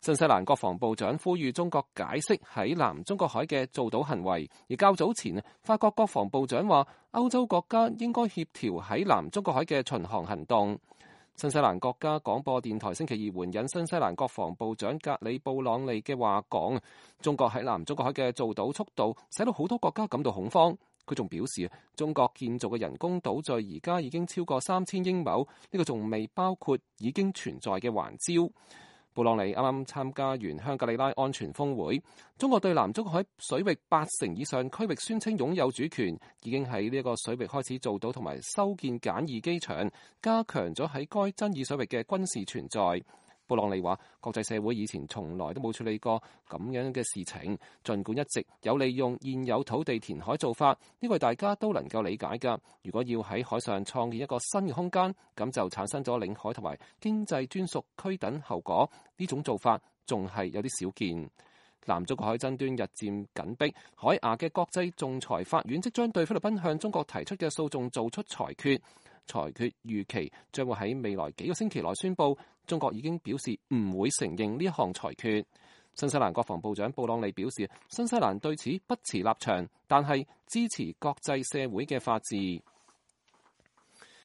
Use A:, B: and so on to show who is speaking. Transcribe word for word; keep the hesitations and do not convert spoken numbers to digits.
A: 新西蘭國防部長呼籲中國解釋喺南中國海嘅造島行為，而較早前法國國防部長話歐洲國家應該協調喺南中國海嘅巡航行動。新西蘭國家廣播電台星期二援引新西蘭國防部長格里布朗利嘅話講，中國喺南中國海嘅造島速度使到好多國家感到恐慌。佢仲表示，中國建造嘅人工島嶼而家已經超過三千英畝，呢個仲未包括已經存在嘅環礁。布朗尼啱啱參加完香格里拉安全峰會，中國對南中國海水域八成以上區域宣稱擁有主權，已經喺呢一個水域開始造島同埋修建簡易機場，加強咗喺該爭議水域嘅軍事存在。布朗尼話：國際社會以前從來都冇處理過咁樣嘅事情，儘管一直有利用現有土地填海做法，呢個大家都能夠理解㗎。如果要喺海上創建一個新嘅空間，咁就產生咗領海同埋經濟專屬區等後果。呢種做法仲係有啲少見。南中國海爭端日漸緊迫，海牙嘅國際仲裁法院即將對菲律賓向中國提出嘅訴訟做出裁決。裁決預期將會喺未來幾個星期內宣佈。中國已經表示唔會承認呢一項裁決。新西蘭國防部長布朗利表示，新西蘭對此不持立場，但係支持國際社會嘅法治。